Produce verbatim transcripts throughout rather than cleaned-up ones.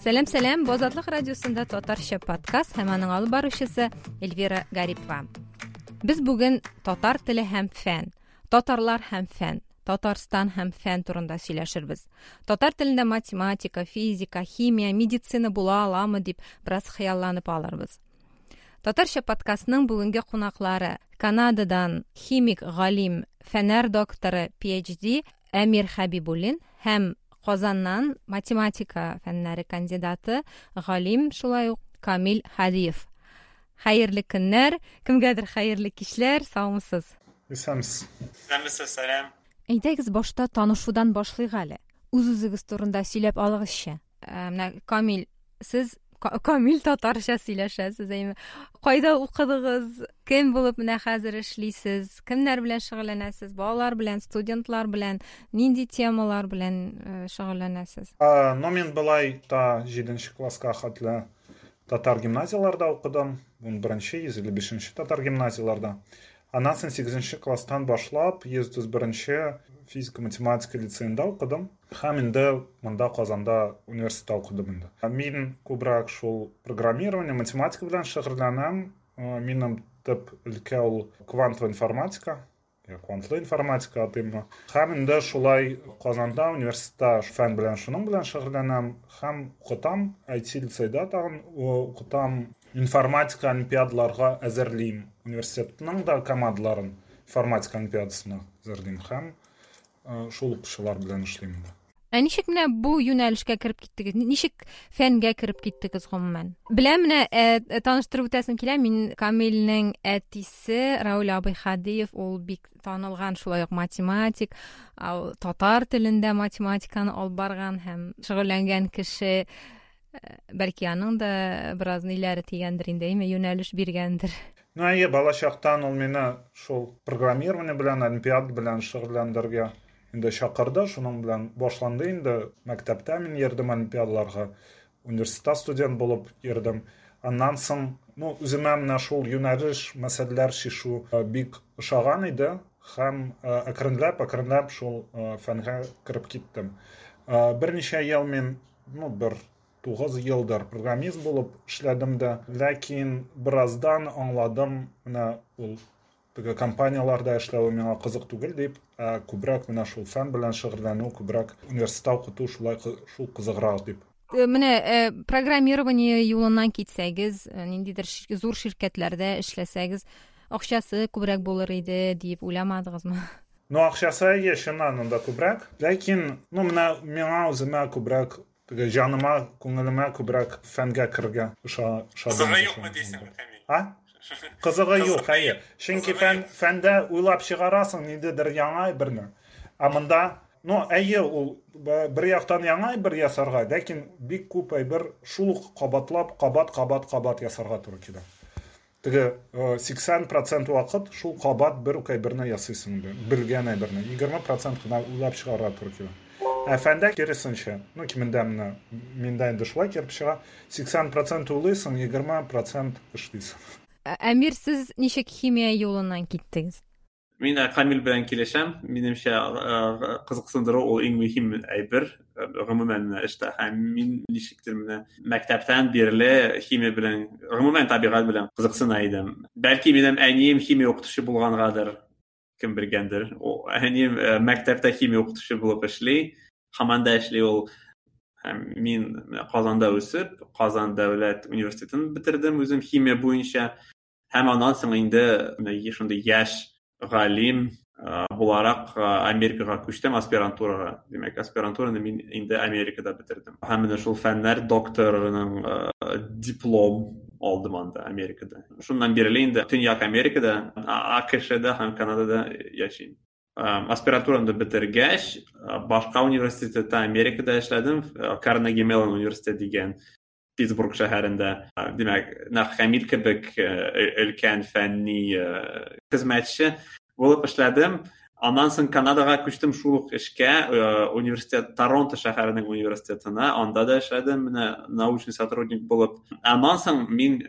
Сәлам, сәлам! Бу Азатлык радиосында татарча подкаст һәм аның алып баручысы Эльвира Гарипова. Без бүген татар теле һәм фән, татарлар һәм фән, Татарстан һәм фән турында сөйләшербез. Татар телендә математика, физика, химия, медицина була аламы дип бераз хыялланып алырбыз. Татарча подкастның бүгенге кунаклары Канададан химик галим, фәннәр докторы, P H D Әмир Хәбибуллин һәм Казаннан математика фәннәре кандидаты, галим шулай ук Камил Һадиев. Хәерле көннәр, кемгәдер хәерле кичләр, саумысыз? Исәнмесез. Исәнмесез, сәлам. Әйдәгез, башта танышудан башлыйк әле. Үз-үзегез турында сөйләп алыгызчы. Ә, менә Камил, сез камил татарча сөйләшәсез, әйме? Кайда укыдыгыз? Кем булып менә хәзер эшлисез? Кемнәр белән шөгыльләнәсез? Балалар белән, студентлар белән, нинди темалар белән э, шөгыльләнәсез? Ну, мин былай та җиденче класска хәтле татар гимназияларда укыдым. Унберенче, йөз илле бишенче татар гимназияларда. Аннан соң сигезенче класстан башлап йөз утыз беренче физика математика лицеенда укыдым. Һәм инде монда, Казанда университетта укыдым инде. Мин күбрәк шул программирование, математика белән шөгыльләнәм. Минем төп өлкә ул квантовая информатика, я квантлы информатика атыйммы. Һәм инде шулай Казанда университетта фән белән, шуның белән шөгыльләнәм һәм укытам. I T лицейда тагын укытам. Информатика олимпиадаларга әзерлим. Университетның да командаларын информатика олимпиадасына әзерлим һәм шул укучылар белән эшлим инде. Ә ничек менә бу юнәлешкә кереп киттегез? Ничек фәнгә кереп киттегез гомумән? Беләм, менә ә, таныштырып үтәсем килә. Мин Камилнең әтисе Рауль абый Хадиев, ул бик танылган шулай ук математик, татар телендә математиканы алып барган һәм шөгыльләнгән кеше. Бәлки, аның да бераз ниләре тигәндер инде, әйме, юнәлеш биргәндер. Ну, әйе, балачактан ул мине шул программирование белән, олимпиада белән шөгыльләндерергә инде чакырды, шуның белән башланды инде. Мәктәптә мин йөрдем олимпиадаларга, университетта студент булып йөрдем. Аннан соң, ну, үземә менә шул юнәлеш, мәсьәләләр чишү бик ошаган иде һәм әкренләп, әкренләп шул фәнгә кереп киттем. Берничә ел мин, ну, бер тугыз елдыр программист булып эшләдем дә, ләкин бераздан аңладым, менә ул теге компанияләрдә эшләве миңа кызык түгел дип, ә күбрәк менә шул фән белән шөгыльләнү, күбрәк университетта укыту шулай шул кызыграк дип. Менә программирование юлыннан китсәгез, ниндидер зур ширкәтләрдә эшләсәгез, акчасы күбрәк булыр иде дип уйламадыгызмы? Ну, акчасы, әйе, чыннан анда күбрәк, ләкин, ну, менә миңа үземә күбрәк теге җаныма, күңелемә күбрәк фәнгә керергә ошады. Кызыгы юкмы дисең, Камил? А? Кызыгы юк, әйе. Чөнки фән фәндә уйлап чыгарасың ниндидер яңа әйберне. Ә монда, ну, әйе, ул бер яктан яңа әйбер ясарга, ләкин бик күп әйбер шул ук кабатлап, кабат, кабат, кабат ясарга туры килә. Теге сиксән процент вакыт шул кабат бер үк әйберне ясыйсың инде, белгән әйберне. Егерме процент кына уйлап чыгарырга туры килә. Ә фәндә киресенчә, ну, кимендә менә миндә инде шулай килеп чыга, сиксән процент уйлыйсың, егерме процент эшлисең. Әмир, сез ничек химия юлыннан киттегез? Мин Камил белән килешәм. Минемчә, кызыксындыру ул иң мөһим әйбер гомумән эштә. Һәм мин ничектер менә мәктәптән бирле химия белән, гомумән табигать белән кызыксына идем. Бәлки, минем әнием химия укытучы булгангадыр, кем белгәндер. Әнием мәктәптә химия укытучы булып эшли, һаман да эшли ул. Һәм мин Казанда үсеп, Казан дәүләт университетын бетердем үзем химия буенча. Һәм аннан соң инде менә шундый яшь галим буларак Америкага күчтем аспирантурага. Димәк, аспирантураны мин инде Америкада бетердем. Һәм менә шул фәннәр докторының диплом алдым анда, Америкада. Шуннан бирле инде Төньяк Америкада, А К Шда һәм Канадада яшим. Аспирантураны бетергәч, башка университетта Америкада эшләдем, Карнеги Меллон университеты дигән Питтсбург шәһәрендә. Димәк, нәкъ Камил кебек өлкән фәнни хезмәтче булып эшләдем. Аннан соң Канадага күчтем шул ук эшкә, университет, Торонто шәһәренең университетына, анда да эшләдем, менә научный сотрудник булып. Аннан соң мин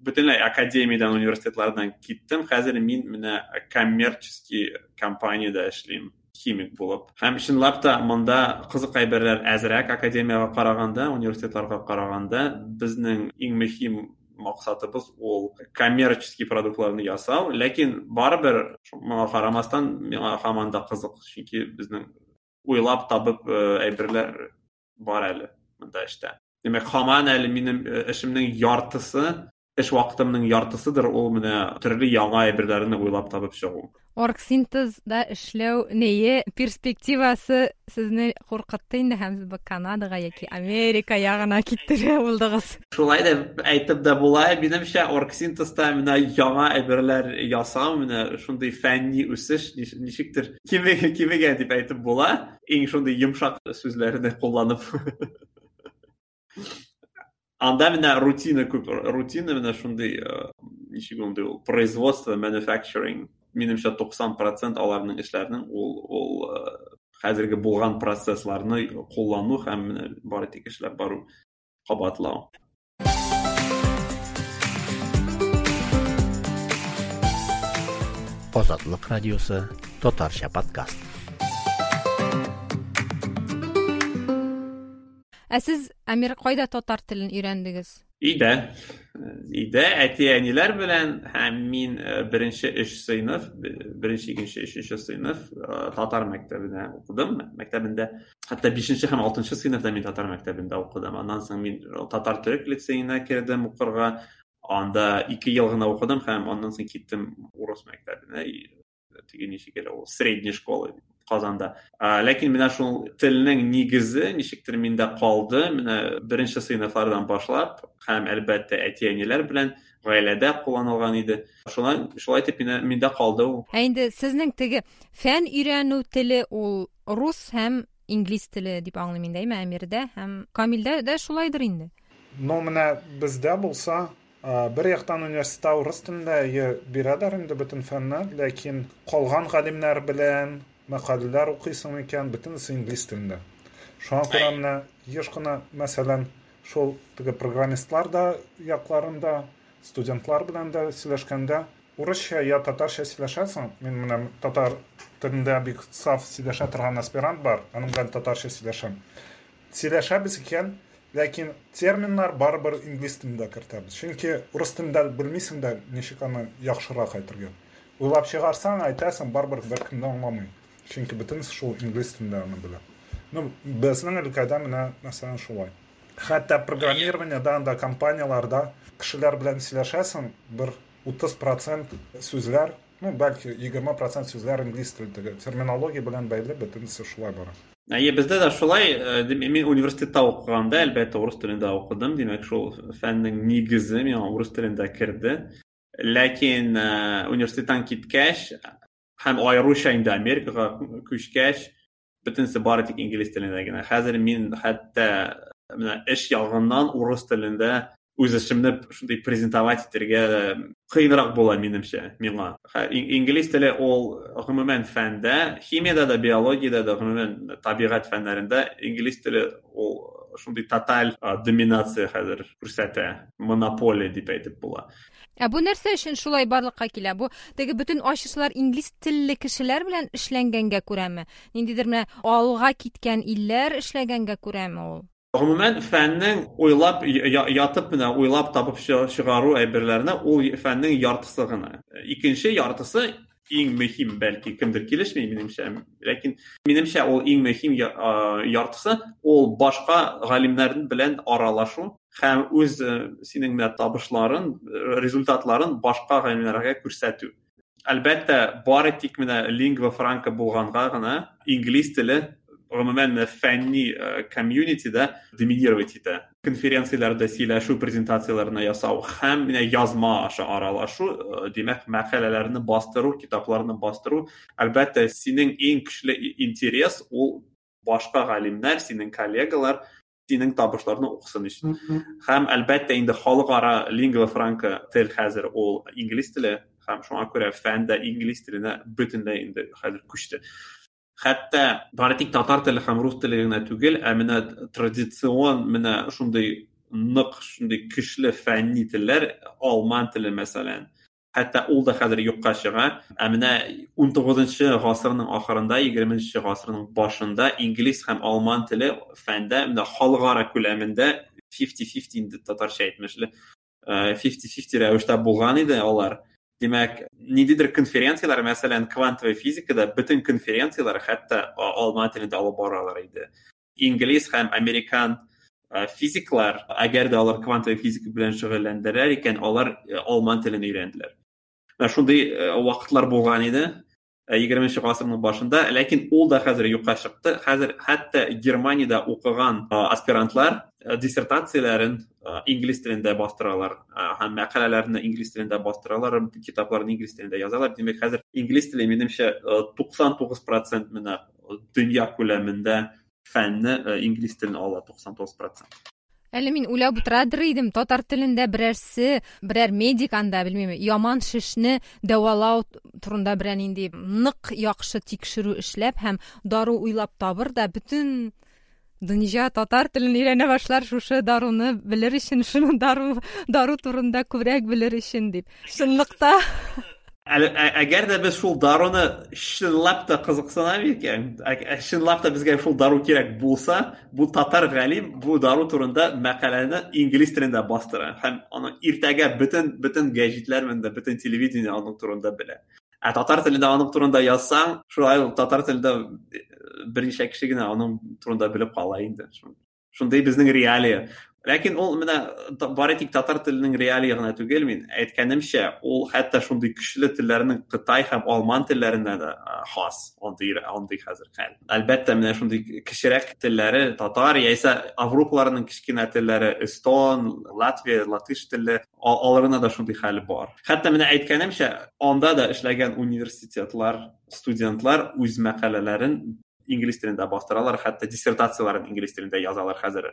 бөтенләй академиядән, университетлардан киттем. Хәзер мин менә коммерческий компаниядә эшлим. химик булып. Һәм чынлап та монда кызык әйберләр әзрәк академиягә караганда, университетларга караганда безнең иң мөһим максатыбыз ул коммерческий продуктларны ясау, ләкин барыбер моңа карамастан миңа һаман да кызык, чөнки безнең уйлап табып әйберләр бар әле монда эштә. Димәк, һаман әле минем эшемнең яртысы, эш вакытымның яртысыдыр ул менә төрле яңа әйберләрне уйлап табып чыгу. Оргсинтезда эшләү нее перспективасы сезне куркытты инде һәм сез Канадага яки Америка ягына киттерә булдыгыз. Шулай да әйтеп дә була, минемчә оргсинтезда менә яңа әйберләр ясау, менә шундый фәнни үсеш ничектер кимегән дип әйтеп була, иң шундый йомшак сүзләрне кулланып. Анда менә рутина күп, рутина менә шундый, ничек ул, производство, manufacturing. Минемчә туксан процент аларның эшләренең ул, ул хәзерге булган процессларны куллану һәм менә бары тик эшләп бару, кабатлау. Азатлык радиосы татарча подкаст. Ә сез Әмир кайда татар телен өйрәндегез? Өйдә. Өйдә әти-әниләр белән һәм мин беренче өч сыйныф, беренче, икенче, өченче сыйныф татар мәктәбендә укыдым. Мәктәбендә, хәтта бишенче һәм алтынчы сыйныфта мин татар мәктәбендә укыдым. Аннан соң мин татар төрек лицеена кердем укырга. Анда ике ел гына укыдым һәм аннан соң киттем урыс мәктәбенә. Теге ничек әле ул, средняя школа Казанда. Ләкин менә шул телнең нигезе ничектер миндә калды. Менә беренче сыйныфлардан башлап һәм әлбәттә әти-әниләр белән гаиләдә кулланылган иде. Шулай, шулай итеп миндә, миндә калды ул. Ә инде сезнең теге фән өйрәнү теле ул рус һәм инглиз теле дип аңлыйм инде, әйме, Әмирдә һәм Камилдә дә шулайдыр инде. Но менә бездә булса, бер яктан университетта урыс телендә бирәләр инде бөтен фәнне, ләкин калган галимнәр белән мәкаләләр укыйсың икән, бөтенесе инглиз телендә. Шуңа күрә менә еш кына, мәсәлән, шул теге программистлар да якларында, студентлар белән дә сөйләшкәндә урысча я татарча сөйләшәсең. Мин менә татар телендә бик саф сөйләшә торган аспирант бар, аның белән татарча сөйләшәм. Сөйләшәбез икән, ләкин терминнар барыбер инглиз телендә кертәбез. Чөнки урыс телендә белмисең дә ничек аны яхшырак әйтергә. Уйлап чыгарсаң, әйтәсең, барыбер беркем дә аңламый. Чөнки бөтенесе шул инглиз телендә аны белә. Ну, безнең өлкәдә менә мәсәлән шулай. Хәтта программированиеда анда компанияларда кешеләр белән сөйләшәсең, бер утыз процент сүзләр, ну, бәлки егерме процент сүзләр инглиз телендәге терминология белән бәйле, бөтенесе шулай бара. Әйе, бездә дә шулай. Мин университетта укыганда, әлбәттә, урыс телендә укыдым. Димәк, шул фәннең нигезе миңа урыс телендә керде. Ләкин университеттан киткәч һәм аеруча инде Америкага күчкәч, бөтенесе бары тик инглиз телендә генә. Хәзер мин хәтта менә эш ягыннан урыс телендә үз эшемне шундый презентовать итәргә кыенрак була минемчә, миңа. Инглиз теле ул гомумән фәндә, химиядә дә, биологиядә дә, гомумән табигать фәннәрендә инглиз теле ул шундый тоталь доминация хәзер күрсәтә, монополия дип әйтеп була. Ә бу нәрсә өчен шулай барлыкка килә? Бу теге бөтен ачышлар инглиз телле кешеләр белән эшләнгәнгә күрәме? Ниндидер менә алга киткән илләр эшләгәнгә күрәме ул? Гомумән фәннең уйлап ятып менә уйлап табып чыгару әйберләренә ул фәннең яртысы гына. Икенче яртысы иң мөһим, бәлки кемдер килешми минемчә, ләкин минемчә ул иң мөһим яртысы ул башка галимнәр белән аралашу һәм үз синең менә табышларын, результатларын башка галимнәргә күрсәтү. Әлбәттә, бары тик менә лингва франка булганга гына инглиз теле гомумән фәнни комьюнитида доминировать итә. Конференцияләрдә сөйләшү, презентацияләрне ясау һәм менә язма аша аралашу, димәк, мәкаләләрне бастыру, китапларны бастыру, әлбәттә, синең иң көчле интерес ул башка галимнәр, синең коллегалар синең табышларны укысын өчен. Һәм әлбәттә инде халыкара лингва франка тел хәзер ул инглиз теле, һәм шуңа күрә фән дә инглиз теленә бөтенләй инде хәзер күчте. Хәтта бары тик татар теле һәм рус теле генә түгел, ә менә традицион менә шундый нык, шундый көчле фәнни телләр, алман теле мәсәлән, Хәтта ул да хәзер юкка чыга. Ә менә унтугызынчы гасырның ахырында, егерменче гасырның башында инглиз һәм алман теле фәндә менә халыкара күләмендә фифти-фифти инде татарча әйтмешле, фифти-фифти рәвештә булган иде алар. Димәк, ниндидер конференцияләр, мәсәлән, квантовая физикада бөтен конференцияләр хәтта алман телендә алып баралар иде. Инглиз һәм американ физиклар, әгәр дә алар квантовая физика белән шөгыльләнделәр икән, алар алман телен өйрәнделәр. Менә шундый вакытлар булган иде егерменче гасырның башында, ләкин ул да хәзер юкка чыкты. Хәзер хәтта Германиядә укыган аспирантлар диссертацияләрен инглиз телендә бастыралар һәм мәкаләләрне инглиз телендә бастыралар, китапларны инглиз телендә язалар. Димәк, хәзер инглиз теле, минемчә, туксан тугыз процент менә дөнья күләмендә фәнне инглиз телен ала, туксан тугыз процент. Әле мин уйлап утырадыр идем, татар телендә берәрсе, берәр медик анда, белмим, яман шешне дәвалау турында берәр нинди нык яхшы тикшерү эшләп һәм дару уйлап табыр да, бөтен дөнья татар телен өйрәнә башлар шушы даруны белер өчен, шуны дару, дару турында күбрәк белер өчен дип. Чынлыкта Әгәр дә без шул даруны чынлап та кызыксынабыз икән, чынлап та безгә шул дару кирәк булса, бу татар галим бу дару турында мәкаләне инглиз телендә бастыра һәм аны иртәгә бөтен, бөтен гәҗитләр менә бөтен телевидение аның турында белә. Ә татар телендә аның турында язсаң, шулай ук татар телендә берничә кеше генә аның турында белеп кала инде. Шундый безнең реалия. Ләкин ул менә бары тик татар теленең реалия гына түгел, мин әйткәнемчә, ул хәтта шундый көчле телләрнең Кытай һәм алман телләренә дә хас, андый, андый хәзер хәл. Әлбәттә, менә шундый кечерәк телләре татар яисә Авропаларның кечкенә телләре эстон, латвия, латыш теле, аларына да шундый хәл бар. Хәтта менә әйткәнемчә, анда да эшләгән университетлар, студентлар үз мәкаләләрен инглиз телендә бастыралар, хәтта диссертацияләрен инглиз телендә язалар хәзер,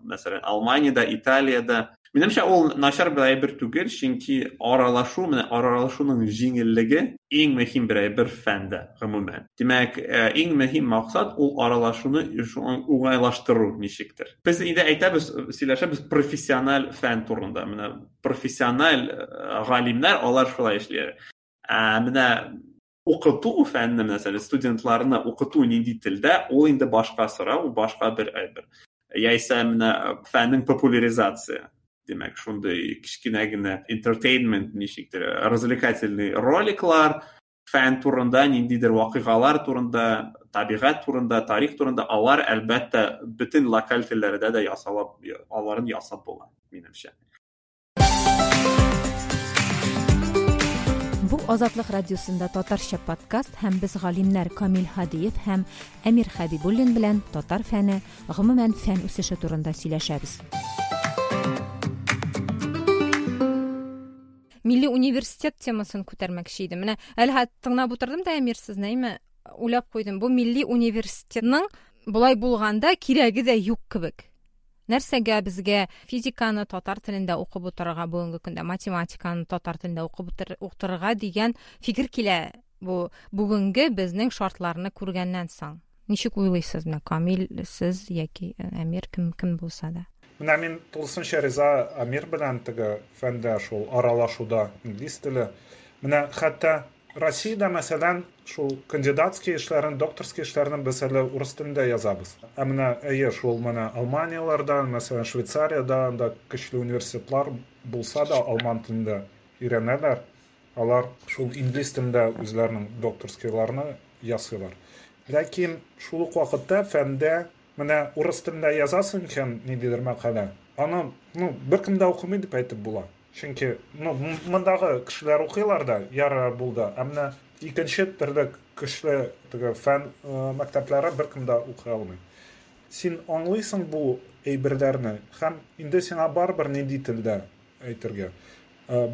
мәсәлән, Алманиядә, Италиядә. Минемчә, ул начар бер әйбер түгел, чөнки аралашу, менә аралашуның җиңеллеге иң мөһим бер әйбер фәндә, гомумән. Димәк, иң мөһим максат ул аралашуны уңайлаштыру ничектер. Без инде әйтәбез, сөйләшәбез профессиональ фән турында. Менә профессиональ галимнәр алар шулай эшлиләр. Ә менә укыту фәнне, мәсәлән, студентларны укыту нинди телдә, ул инде башка сорау, башка бер әйбер. Яисә менә фәннең популяризация, димәк, шундый кечкенә генә entertainment ничектер, развлекательный роликлар, фән турында, ниндидер вакыйгалар турында, табигать турында, тарих турында, алар әлбәттә бөтен локаль телләрдә дә ясалып, аларын ясап була, минемчә. Бу Азатлык радиосында татарча подкаст һәм без галимнәр Камил Һадиев һәм Әмир Хәбибуллин белән татар фәне, гомумән фән үсеше турында сөйләшәбез. Милли университет темасын күтәрмәкче идем. Менә әле хәтта тыңлап утырдым да, Әмир, сезне, әйме, уйлап куйдым. Бу милли университетның болай булганда кирәге дә юк кебек. Нәрсәгә безгә физиканы татар телендә укып утырырга бүгенге көндә, математиканы татар телендә укып утырырга дигән фикер килә бу бүгенге безнең шартларны күргәннән соң. Ничек уйлыйсыз, менә Камил, сез яки Әмир, кем кем булса да? Менә мин тулысынча риза Әмир белән теге фәндә шул аралашуда инглиз теле. Менә хәтта Россиядә, мәсәлән, шул кандидатский эшләрен, докторский эшләрен без әле урыс телендә язабыз. Ә менә әйе, шул менә Алманияләрдә, мәсәлән, Швейцариядә анда көчле университетлар булса да алман телендә өйрәнәләр. Алар шул инглиз телендә үзләренең докторскийларны ясыйлар. Ләкин шул ук вакытта фәндә менә урыс телендә язасың икән ниндидер мәкалә, аны, ну, беркем дә укымый дип әйтеп була. Чөнки, ну, мондагы кешеләр укыйлар да, ярар булды. Ә менә икенче төрле көчле теге фән мәктәпләре беркем дә укый алмый. Син аңлыйсың бу әйберләрне һәм инде сиңа барыбер нинди телдә әйтергә.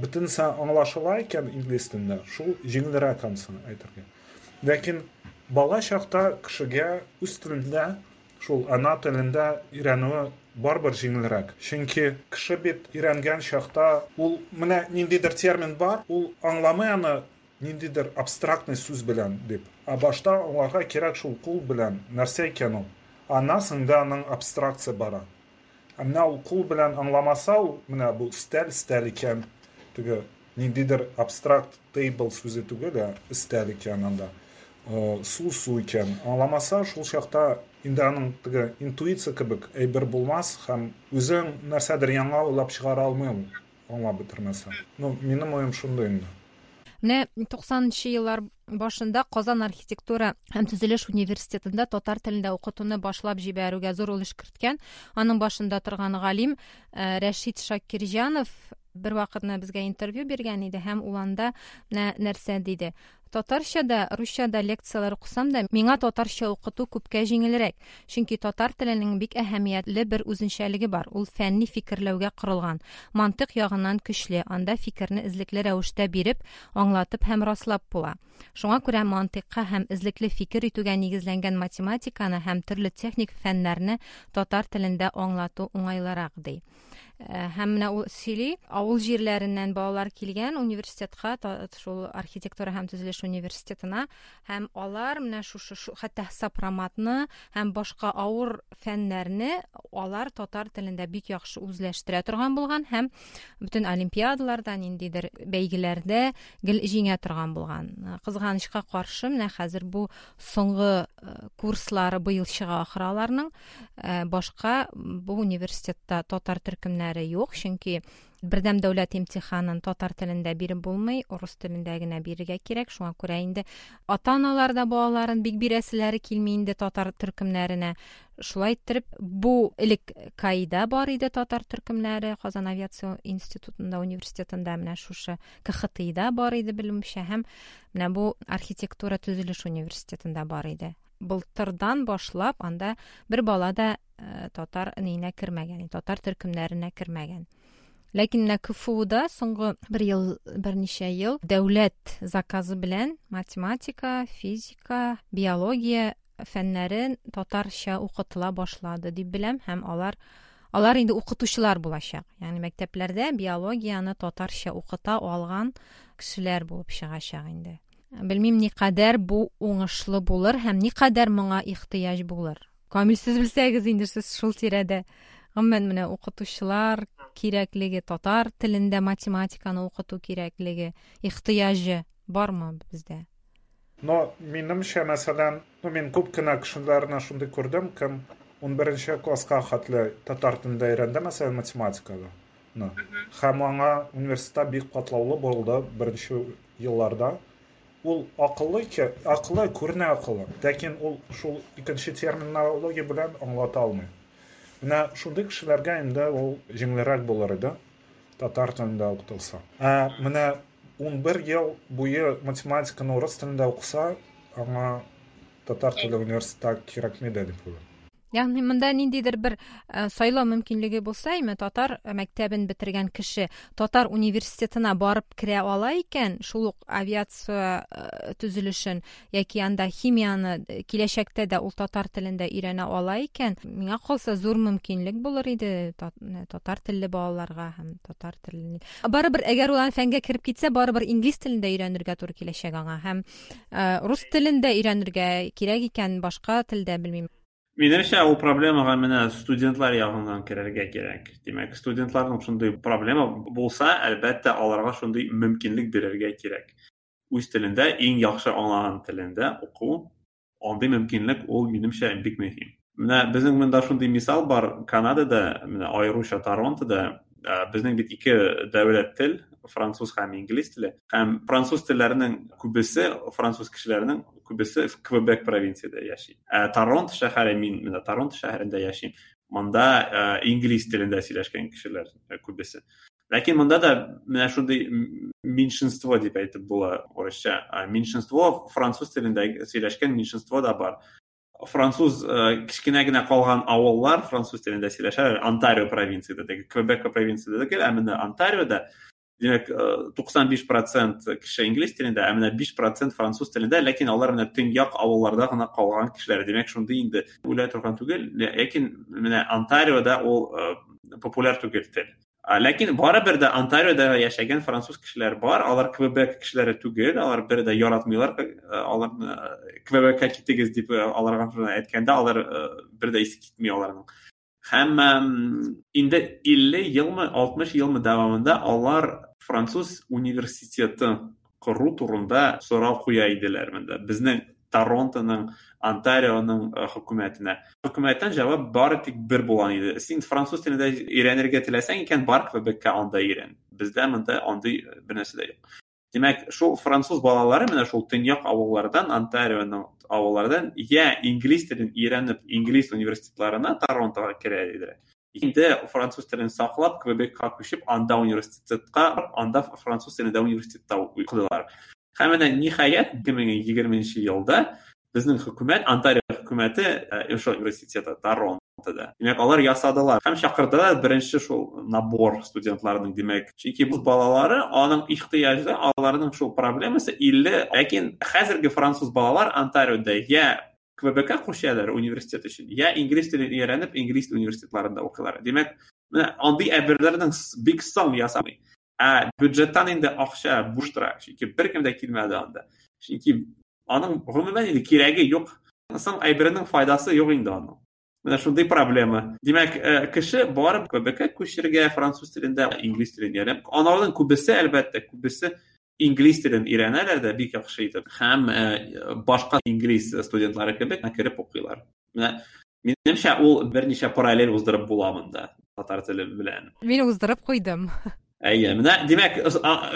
Бөтенесе аңлашыла икән инглиз телендә, шул җиңелрәк ансын әйтергә. Ләкин бала чакта кешегә үз телендә, шул ана телендә өйрәнүе барыбер җиңелрәк. Чөнки кеше бит өйрәнгән чакта ул менә ниндидер термин бар, ул аңламый аны ниндидер абстрактный сүз белән дип. Ә башта аңларга кирәк шул кул белән нәрсә икән ул. Аннан соң да аның абстракция бара. Ә менә ул кул белән аңламаса, ул менә бу өстәл өстәл икән, теге Ниндидер абстракт table сүзе түгел, ә өстәл икән анда. Су су икән. Аңламаса, шул чакта инде аның теге интуиция кебек әйбер булмас һәм үзең нәрсәдер яңа уйлап чыгара алмый ул, аңлап бетермәсә. Ну, минем уем шундый инде. Менә туксанынчы еллар башында Казан архитектура һәм төзелеш университетында татар телендә укытуны башлап җибәрүгә зур өлеш керткән, аның башында торган галим Рәшит Шакирҗанов бер вакытны безгә интервью биргән иде һәм ул анда менә нәрсә диде. Татарча да, русча да лекцияләр укысам да, миңа татарча укыту күпкә җиңелрәк. Чөнки татар теленең бик әһәмиятле бер үзенчәлеге бар. Ул фәнни фикерләүгә корылган, мантык ягыннан көчле, анда фикерне эзлекле рәвештә биреп, аңлатып һәм раслап була. Шуңа күрә мантыйкка һәм эзлекле фикер итүгә нигезләнгән математиканы һәм төрле техник фәннәрне татар телендә аңлату уңайлырак, ди. Һәм менә ул сөйли, авыл җирләреннән балалар килгән университетка, шул архитектура һәм төзелеш университетына, һәм алар менә шушы хәтта сопроматны һәм башка авыр фәннәрне алар татар телендә бик яхшы үзләштерә торган булган һәм бөтен олимпиадаларда, ниндидер бәйгеләрдә гел җиңә торган булган. Кызганычка каршы, менә хәзер бу соңгы курслары быел чыга ахыры аларның, башка бу университетта татар төркемнәре юк, чөнки бердәм дәүләт имтиханын татар телендә биреп булмый, урыс телендә генә бирергә кирәк. Шуңа күрә инде ата-аналар да балаларын бик бирәселәре килми инде татар төркемнәренә. Шулай иттереп, бу элек КАИда бар иде татар төркемнәре, Казан авиация институтында, университетында, менә шушы КХТИда бар иде белемчә, һәм менә бу архитектура төзелеш университетында бар иде. Былтырдан башлап анда бер бала да татар нейнә кермәгән, татар төркемнәренә кермәгән. Ләкин менә КФУда соңгы бер ел, берничә ел дәүләт заказы белән математика, физика, биология фәннәрен татарча укытыла башлады дип беләм, һәм алар алар инде укытучылар булачак. Ягъни мәктәпләрдә биологияне татарча укыта алган кешеләр булып чыгачак инде. Белмим, никадәр бу уңышлы булыр һәм никадәр моңа ихтыяҗ булыр. Камил, сез белсәгез инде, сез шул тирәдә. Гомумән менә укытучылар кирәклеге, татар телендә математиканы укыту кирәклеге, ихтыяҗы бармы бездә? Но минемчә, мәсәлән, ну мин күп кенә кешеләрне шундый күрдем, кем унберенче класска хәтле татар телендә өйрәнде, мәсәлән, математиканы. Һәм аңа университетта бик катлаулы булды беренче елларда. Ул акыллы, акыллы, күренә акыллы, ләкин ул шул икенче терминология белән аңлата алмый. Менә шундый кешеләргә инде ул җиңелрәк булыр иде, татар телендә укытылса. Ә менә унбер ел буе математиканы урыс телендә укыса, аңа татар теле университетта кирәкми дә дип уйлыйм. Ягъни монда ниндидер бер сайлау мөмкинлеге булса, әмма татар мәктәбен бетергән кеше татар университетына барып керә ала икән, шул ук авиация төзелешен яки анда химияны киләчәктә дә ул татар телендә өйрәнә ала икән, миңа калса зур мөмкинлек булыр иде татар телле балаларга һәм татар телен. Барыбер әгәр ул фәнгә кереп китсә, барыбер инглиз телендә өйрәнергә туры киләчәк аңа һәм рус телендә өйрәнергә кирәк икән, башка телдә белмим. Минемчә, ул проблемага менә студентлар ягыннан керергә кирәк. Димәк, студентларның шундый проблема булса, әлбәттә, аларга шундый мөмкинлек бирергә кирәк. Үз телендә, иң яхшы аңлаган телендә уку, андый мөмкинлек ул минемчә бик мөһим. Менә безнең монда шундый мисал бар, Канадада, менә аеруча Торонтода, безнең бит ике дәүләт тел, француз һәм инглиз теле. Һәм француз телләренең күбесе, француз кешеләренең күбесе Квебек провинцияда яши. Ә Торонто шәһәре, мин менә Торонто шәһәрендә яшим. Монда инглиз телендә сөйләшкән кешеләр күбесе. Ләкин монда да менә шундый меньшинство дип әйтеп була урысча. Меньшинство, француз телендә сөйләшкән меньшинство да бар. Француз кечкенә генә калган авыллар француз телендә сөйләшәләр. Онтарио провинцияда, Квебек провинцияда түгел, ә менә Онтариода, димәк, туксан биш процент кеше инглиз телендә, ә менә биш процент француз телендә, ләкин алар менә төньяк авылларда гына калган кешеләр. Димәк, шундый инде үлә торган түгел, ләкин менә Онтариода ул популяр түгел тел. Ләкин барыбер дә Онтариода яшәгән француз кешеләр бар, алар Квебек кешеләре түгел, алар бер дә яратмыйлар, алар Квебекка китегез дип аларга әйткәндә, алар бер дә исе китми аларның. Һәм инде илле елмы, алтмыш елмы дәвамында алар француз университеты кору турында сорау куя иделәр монда. Безнең Торонтоның, Онтарионың хөкүмәтенә. Хөкүмәттән җавап бары тик бер булган иде. Син француз телендә өйрәнергә теләсәң икән, бар Квебекка, анда өйрән. Бездә монда андый бер нәрсә дә юк. Димәк, шул француз балалары менә шул төньяк авыллардан, Онтарионың авыллардан я инглиз телен өйрәнеп, инглиз университетларына Торонтога керә иделәр. Инде француз телен саклап, Квебекка күчеп, анда университетка, анда француз телендә университетта укыдылар. Һәм менә ниһаять ике мең егерменче елда безнең хөкүмәт, Онтарио хөкүмәте, шул университеты Торонтода. Димәк, алар ясадылар һәм чакырдылар беренче шул набор студентларның, димәк, чөнки бу балалары аның ихтыяҗы, аларның шул проблемасы илле, ләкин хәзерге француз балалар Онтариода я Квебекка күчәләр университет өчен, я инглиз телен өйрәнеп, инглиз университетларында укыйлар. Димәк, менә андый әйберләрнең бик соң ясамый. Ә бюджеттан инде акча буш тора, чөнки беркем дә килмәде анда. Чөнки аның гомумән инде кирәге юк. Соң әйберенең файдасы юк инде аның. Менә шундый проблема. Димәк, кеше барып Квебекка күчергә француз телендә, инглиз телен өйрәнеп, аларның күбесе, әлбәттә, күбесе инглиз телен өйрәнәләр дә бик яхшы итеп. Һәм башка инглиз студентлары кебек кереп укыйлар. Менә минемчә, ул берничә параллель уздырып була монда татар теле белән. Мин уздырып куйдым. Әйе, менә димәк,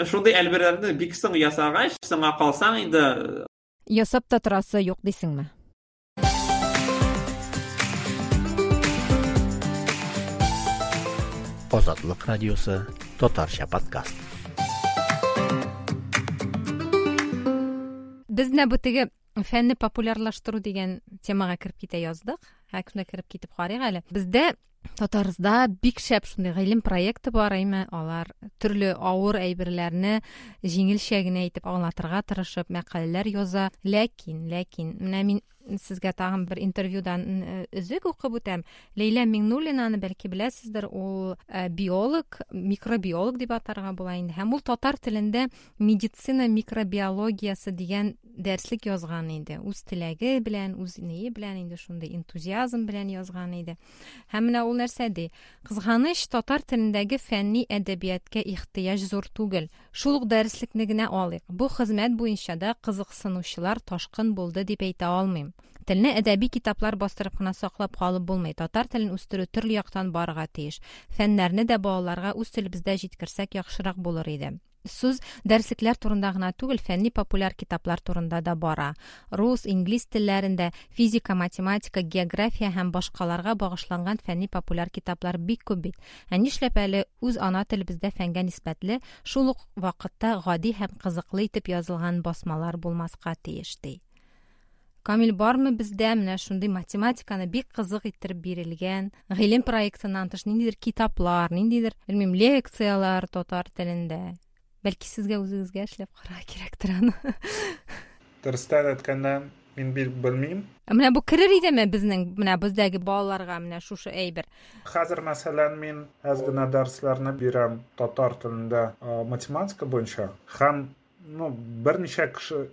шундый әйберләрне бик соң ясагач, соңга калсаң инде ясап та торасы юк дисеңме? Азатлык радиосы татарча подкаст. Без менә бу теге фәнне популярлаштыру дигән темага кереп китә яздык. Һәркемдә кереп китеп карыйк әле. Бездә Татарстанда бик шәп шундый гыйлем проекты бар, әйме, алар төрле авыр әйберләрне җиңелчә генә итеп аңлатырга тырышып мәкаләләр яза. Ләкин, ләкин менә мин сезгә тагын бер интервьюдан өзек укып үтәм. Ләйлә Миңнуллинаны бәлки беләсездер, ул биолог, микробиолог дип атарга була инде. Һәм ул татар телендә медицина микробиологиясе дигән дәреслек язган иде. Үз теләге белән, үз ние белән инде шундый энтузиазм белән язган иде. Һәм менә ул нәрсә ди? Кызганыч, татар телендәге фәнни әдәбиятка ихтыяҗ зур түгел. Шул ук дәреслекне генә алыйк. Бу хезмәт буенча да кызыксынучылар ташкын булды дип әйтә алмыйм. Телне әдәби китаплар бастырып кына саклап калып булмый. Татар телен үстерү төрле яктан барырга тиеш. Фәннәрне дә балаларга үз телебездә җиткерсәк яхшырак булыр иде. Сүз дәреслекләр турында гына түгел, фәнни популяр китаплар турында да бара. Рус, инглиз телләрендә физика, математика, география һәм башкаларга багышланган фәнни популяр китаплар бик күп бит. Ә нишләп әле үз ана телебездә фәнгә нисбәтле, шул ук вакытта гади һәм кызыклы итеп язылган басмалар булмаска тиеш ди. Камил, бармы бездә менә шундый математиканы бик кызык иттереп бирелгән гыйлем проектыннан тыш ниндидер китаплар, ниндидер, белмим, лекциялар татар телендә? Бәлки сезгә үзегезгә эшләп карарга кирәктер аны. Дөрестән әйткәндә, мин бик белмим. Менә бу керер идеме безнең, менә бездәге балаларга менә шушы әйбер? Хәзер, мәсәлән, мин әз генә дәресләрне бирәм татар телендә математика буенча һәм ну, берничә кеше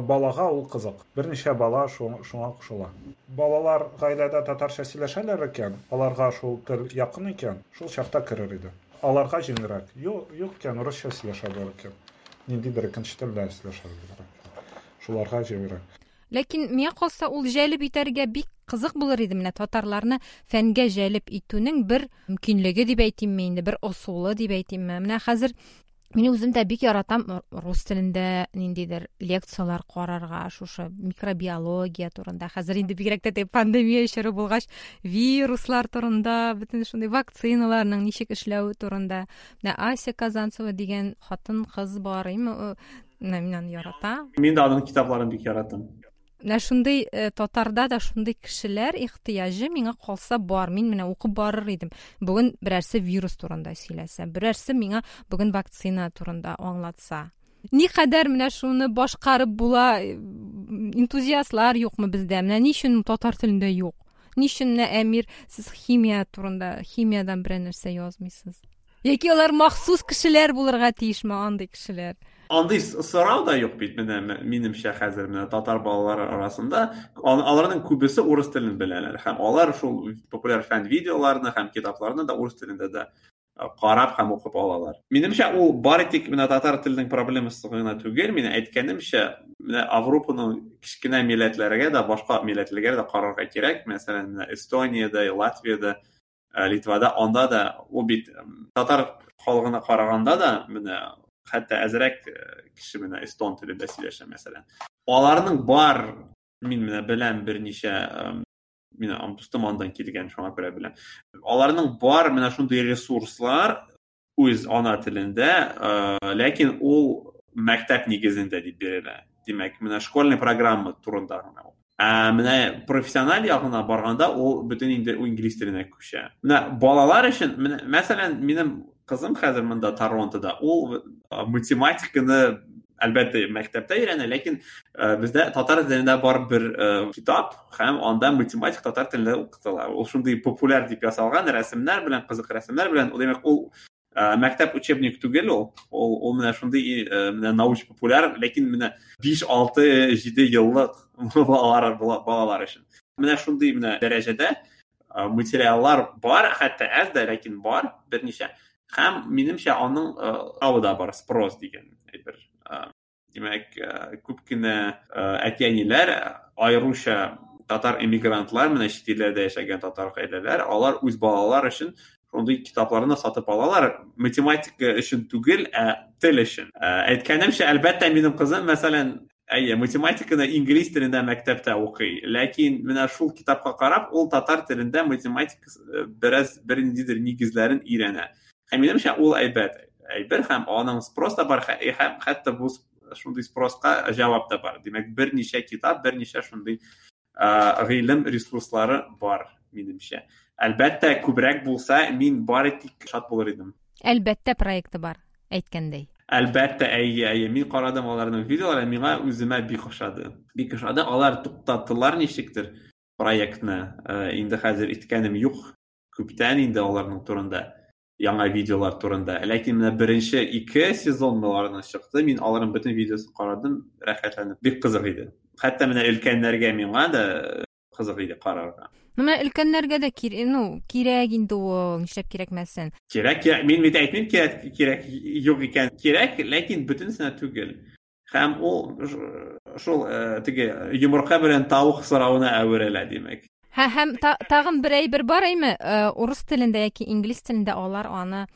балага ул кызык. Берничә бала шуңа кушыла. Балалар гаиләдә татарча сөйләшәләр икән, аларга шул тел якын икән, шул чакта керер иде. Аларга җиңелрәк. Юк, юк икән, русча сөйләшәләр икән. Ниндидер икенче телдә сөйләшәләр икән. Шуларга җиңелрәк. Ләкин миңа калса, ул җәлеп итәргә бик кызык булыр иде. Менә татарларны фәнгә җәлеп итүнең бер мөмкинлеге дип әйтимме инде, бер ысулы дип әйтимме. Менә хәзер мин үзем дә бик яратам рус телендә ниндидер лекциялар карарга, шушы микробиология турында. Хәзер инде бигрәк тә пандемия чоры булгач, вируслар турында, бөтен шундый вакциналарның ничек эшләве турында. Менә Ася Казанцева дигән хатын-кыз бар, име, менә мин аны яратам. Мин дә аның китапларын бик яратам. Менә шундый татарда да шундый кешеләр ихтыяҗы миңа калса бар. Мин менә укып барыр идем. Бүген берәрсе вирус турында сөйләсә, берәрсе миңа бүген вакцина турында аңлатса. Никадәр менә шуны башкарып була, энтузиастлар юкмы бездә? Менә ни өчен татар телендә юк? Ни өчен менә Әмир, сез химия турында, химиядан берәр нәрсә язмыйсыз? Яки алар махсус кешеләр булырга тиешме, андый кешеләр? Андый сорау да юк бит менә минемчә хәзер менә татар балалары арасында. Аларның күбесе урыс телен беләләр һәм алар шул популяр фән видеоларны һәм китапларны да урыс телендә дә Карап һәм укып алалар. Минемчә, ул бары тик менә татар теленең проблемасы гына түгел, мин әйткәнемчә, менә Европаның кечкенә милләтләргә дә, башка милләтләргә дә карарга кирәк. Мәсәлән, менә Эстониядә, Латвиядә, Литвада, анда да ул бит татар халкына караганда да менә хәтта әзрәк кеше менә эстон телендә сөйләшә, мәсәлән. Аларның бар, мин менә беләм берничә мин дустым андан килгән, шуңа күрә беләм. Аларның бар менә шундый ресурслар үз ана телендә, ләкин ул мәктәп нигезендә дип бирелә. Димәк, менә школьный программа турында гына ул. Ә менә профессиональ ягына барганда ул бөтен инде инглиз теленә күчә. Менә балалар өчен, менә мәсәлән, минем кызым хәзер монда Торонтода, ул математиканы әлбәттә мәктәптә өйрәнә, ләкин бездә татар телендә бар бер китап һәм анда математик татар телендә укытыла. Ул шундый популяр дип ясалган рәсемнәр белән, кызык рәсемнәр белән. Ул димәк, ул мәктәп учебник түгел ул. Ул, ул менә шундый менә науч популяр, ләкин менә биш, алты, җиде еллык балалар, балалар өчен. Менә шундый менә дәрәҗәдә материаллар бар, хәтта әз дә, ләкин бар берничә. Һәм минемчә аның сорауы да бар, спрос дигән әйбер. Димәк, күп кенә әти-әниләр, аеруча татар эмигрантлар, менә чит илләрдә яшәгән татар гаиләләр, алар үз балалар өчен шундый китапларны сатып алалар. Математика өчен түгел, ә тел өчен. Әйткәнемчә, әлбәттә, минем кызым, мәсәлән, әйе, математиканы инглиз телендә мәктәптә укый, ләкин менә шул китапка карап, ул татар телендә математика бераз бер ниндидер нигезләрен өйрәнә. Һәм минемчә, ул әйбәт әйбер, һәм аның спрос та бар, һәм хәтта бу шундый спроска җавап та бар. Димәк, берничә китап, берничә шундый гыйлем ресурслары бар, минемчә. Әлбәттә, күбрәк булса, мин бары тик шат булыр идем. Әлбәттә, проекты бар, әйткәндәй. Әлбәттә, әйе, әйе. Мин карадым аларның видеоларын, миңа үземә бик ошады. Бик ошады. Алар туктаттылар ничектер проектны. Инде хәзер иткәнем юк. Күптән инде аларның турында, яңа видеолар турында. Ләкин менә беренче ике сезон аларның чыкты. Мин аларның бөтен видеосын карадым, рәхәтләнеп. Бик кызык иде. Хәтта менә өлкәннәргә миңа да кызык иде карарга. Ну, менә өлкәннәргә дә кир, ну, кирәк инде ул, нишләп кирәкмәсен? Кирәк, кирәк. Мин бит әйтмим, кирәк, кирәк юк икән. Кирәк, ләкин бөтенесенә түгел. Һәм ул шул теге йомырка белән тавык соравына әверелә, димәк. Һә, һәм тагын бер әйбер бар, әйме? Урыс телендә яки инглиз телендә алар аны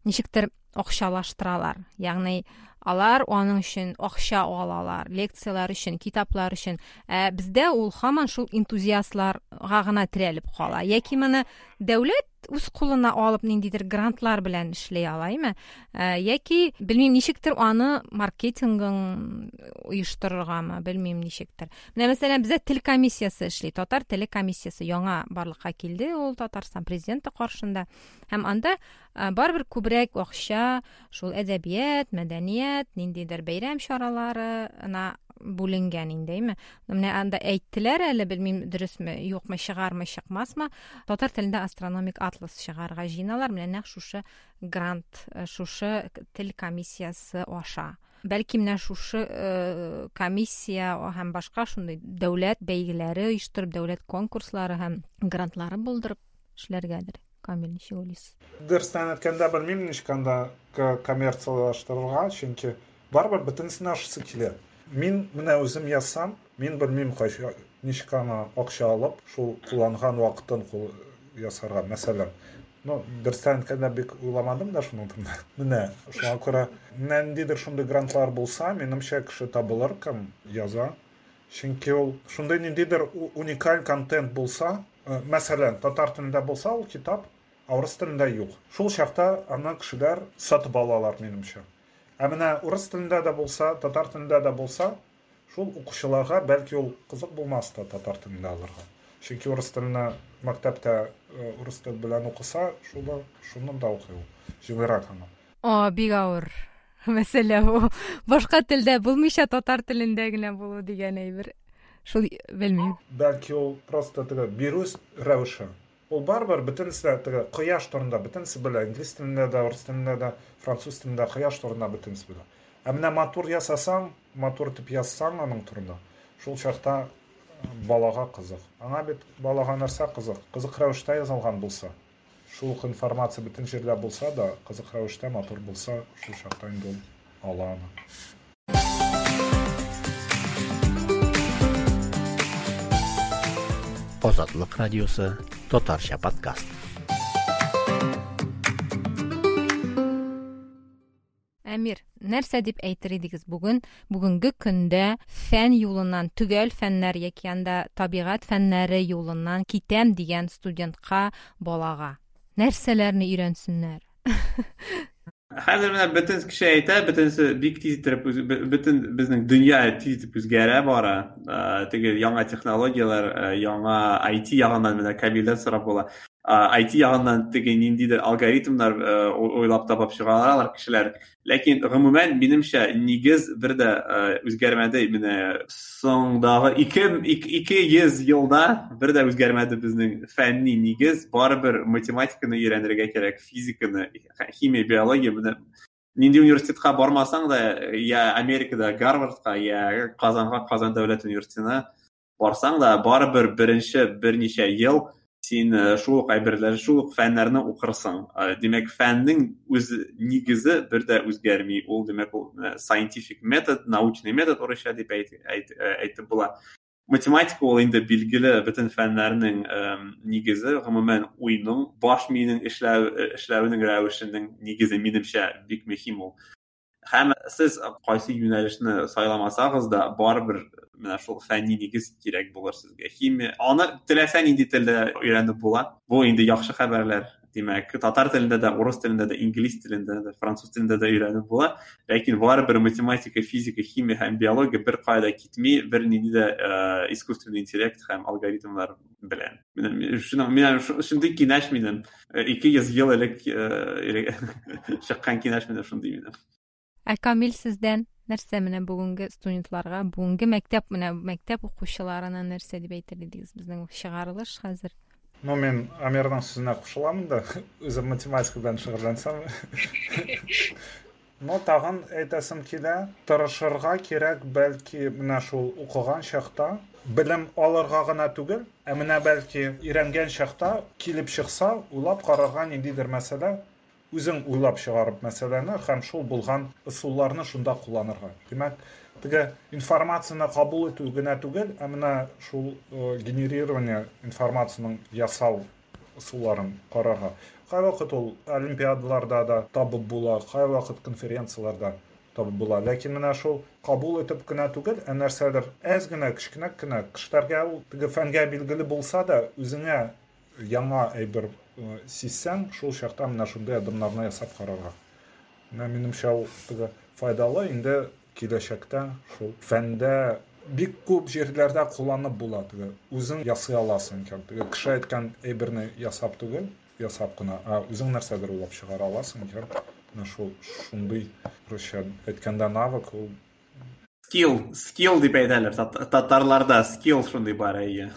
ничектер акчалаштыралар. Ягъни алар аның өчен акча алалар, лекцияләр өчен, китаплар өчен. Ә бездә ул һаман шул энтузиастларга гына терәлеп кала. Яки моны дәүләт үз кулына алып ниндидер грантлар белән эшли ала, әйме? Яки белмим ничектер аны маркетингын оештырыргамы, белмим ничектер. Менә мәсәлән бездә тел комиссиясе эшли, татар теле комиссиясе яңа барлыкка килде, ул Татарстан президенты каршында. Һәм анда барыбер күбрәк акча шул әдәбият, мәдәният, ниндидер бәйрәм чараларына бүленгән инде, әйме? Менә анда әйттеләр әле, белмим дөресме, юкмы, чыгармы, чыкмасмы, татар телендә астрономик атлас чыгарга җыеналар, менә нәкъ шушы грант, шушы тел комиссиясе аша. Бәлки менә шушы комиссия һәм башка шундый дәүләт бәйгеләре оештырып, дәүләт конкурслары һәм грантлары булдырып эшләргәдер. Камил, ничек уйлыйсыз? Дөрестән әйткәндә, белмим ничек анда коммерциялаштырырга, чөнки барыбер бөтенесенә ашысы килә. Мин менә үзем язсам, мин белмим кайчан ничек аны акча алып, шул кулланган вакытын кул ясарга, мәсәлән. Ну, дөрестән әйткәндә бик уйламадым да шуның турында. Менә шуңа күрә ниндидер шундый грантлар булса, минемчә кеше табылыр, кем яза. Чөнки ул шундый ниндидер уникаль контент булса, мәсәлән, татар телендә булса ул китап, ә урыс телендә юк. Шул чакта аны кешеләр сатып алалар, минемчә. Ә менә урыс телендә дә булса, татар телендә дә булса, шул укучыларга бәлки ул кызык булмас та татар телендә алырга. Чөнки урыс теленә мәктәптә урыс теле белән укыса, шуны, шуны да укый ул. Җиңелрәк аңа. О, бик авыр мәсьәлә бу. Башка телдә булмыйча татар телендә генә булу дигән әйбер. Шул белмим. Бәлки ул просто теге бирү рәвеше. Ул барыбер бөтенесе теге кояш турында бөтенесе белә, инглиз телендә дә, урыс телендә дә, француз телендә кояш турында бөтенесе белә. Ә менә матур ясасаң, матур итеп язсаң аның турында, шул чакта балага кызык. Аңа бит балага нәрсә кызык? Кызык рәвештә язылган булса, Шул ук информация бөтен җирдә булса да, кызык рәвештә матур булса, шул чакта инде ул ала аны. Азатлык радиосы татарча подкаст. Әмир, нәрсә дип әйтер идегез бүген? Бүгенге көндә фән юлыннан, төгәл фәннәр яки анда табигать фәннәре юлыннан китәм дигән студентка, балага. Нәрсәләрне өйрәнсеннәр? Хәзер менә бөтен кеше әйтә, бөтенесе бик тиз итеп, бөтен безнең дөнья тиз итеп үзгәрә бара. Теге яңа технологияләр, яңа ай ти ягыннан менә Камилдән сорап була. ай ти ягыннан теге ниндидер алгоритмнар уйлап табып чыгаралар кешеләр. Ләкин гомумән минемчә нигез бер дә үзгәрмәде. Менә соңдагы ике, ике йөз елда бер дә үзгәрмәде безнең фәнни нигез. Барыбер математиканы өйрәнергә кирәк, физиканы, химия, биология. Менә нинди университетка бармасаң да, я Америкада Гарвардка, я Казанга, Казан дәүләт университетына барсаң да, барыбер беренче берничә ел син шул ук әйберләр, шул ук фәннәрне укырсың. Димәк, фәннең үз нигезе бер дә үзгәрми. Ул, димәк, ул scientific метод, научный метод урысча дип әйтеп була. Математика ул инде билгеле бөтен фәннәрнең нигезе, гомумән уйның, баш миенең эшләү, эшләвенең рәвешенең нигезе минемчә бик мөһим ул. Һәм сез кайсы юнәлешне сайламасагыз да, барыбер менә шул фәнни нигез кирәк булыр сезгә. Химия, аны теләсә нинди телдә өйрәнеп була. Бу инде яхшы хәбәрләр. Димәк, татар телендә дә, урыс телендә дә, инглиз телендә дә, француз телендә дә өйрәнеп була. Ләкин барыбер математика, физика, химия һәм биология бер кая да китми, бер нинди дә искусственный интеллект һәм алгоритмнар белән. Менә шундый киңәш минем. Ике йөз ел элек чыккан киңәш менә шундый минем. Ә Камил, сездән нәрсә менә бүгенге студентларга, бүгенге мәктәп, менә мәктәп укучыларына нәрсә дип әйтер идегез? Безнең чыгарылыш хәзер. Ну, мин Әмирнең сүзенә кушылам да, үзем математика белән шөгыльләнсәм. Но тагын әйтәсем килә, тырышырга кирәк, бәлки менә шул укыган чакта белем алырга гына түгел, ә менә бәлки өйрәнгән чакта килеп чыкса, уйлап карарга ниндидер мәсьәлә, үзең уйлап чыгарып мәсьәләне һәм шул булган ысулларны шунда кулланырга. Димәк, теге информацияне кабул итү генә түгел, ә менә шул генерирование информацияның ясау ысулларын карарга. Кайвакыт ул олимпиадаларда да табып була, кайвакыт конференцияләрдә табып була. Ләкин менә шул кабул итеп кенә түгел, ә нәрсәдер әз генә, кечкенә генә кешеләргә ул теге фәнгә билгеле булса да, үзеңә яңа әйбер сизсәң, шул чакта менә шундый адымнарны ясап карарга. Менә минемчә ул теге файдалы, инде киләчәктә шул фәндә бик күп җирләрдә кулланып була теге. Үзең ясый аласың икән. Теге кеше әйткән әйберне ясап түгел, ясап кына, ә үзең нәрсәдер уйлап чыгара аласың икән. Менә шул шундый, русча әйткәндә, навык ул. Скилл, скилл дип әйтәләр. Татарларда скилл шундый бар, әйе.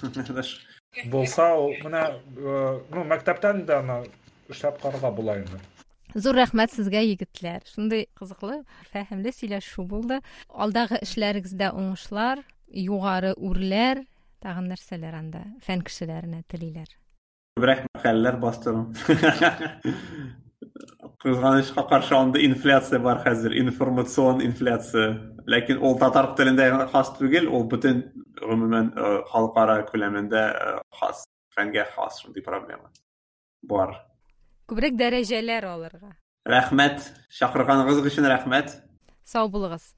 Булса, ул менә, ну, мәктәптән дә аны эшләп карарга була инде. Зур рәхмәт сезгә, егетләр. Шундый кызыклы, фәһемле сөйләшү булды. Алдагы эшләрегездә уңышлар, югары үрләр, тагын нәрсәләр анда фән кешеләренә телиләр. Күбрәк мәкаләләр бастыру. Кызганычка каршы анда инфляция бар хәзер, информацион инфляция. Ләкин ул татар телендә хас түгел, ул бөтен гомумән халыкара күләмендә хас, фәнгә хас шундый проблема бар. Күбрәк дәрәҗәләр алырга. Рәхмәт, чакырганыгыз өчен рәхмәт. Сау булыгыз.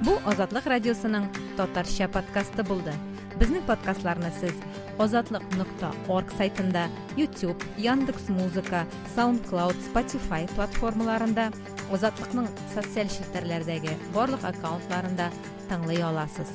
Бу Азатлык радиосының татарча подкасты булды. Безнең подкастларны сез азатлык нокта орг сайтында, YouTube, Яндекс.Музыка, SoundCloud, Spotify платформаларында, Азатлыкның социаль челтәрләрдәге барлык аккаунтларында тыңлый аласыз.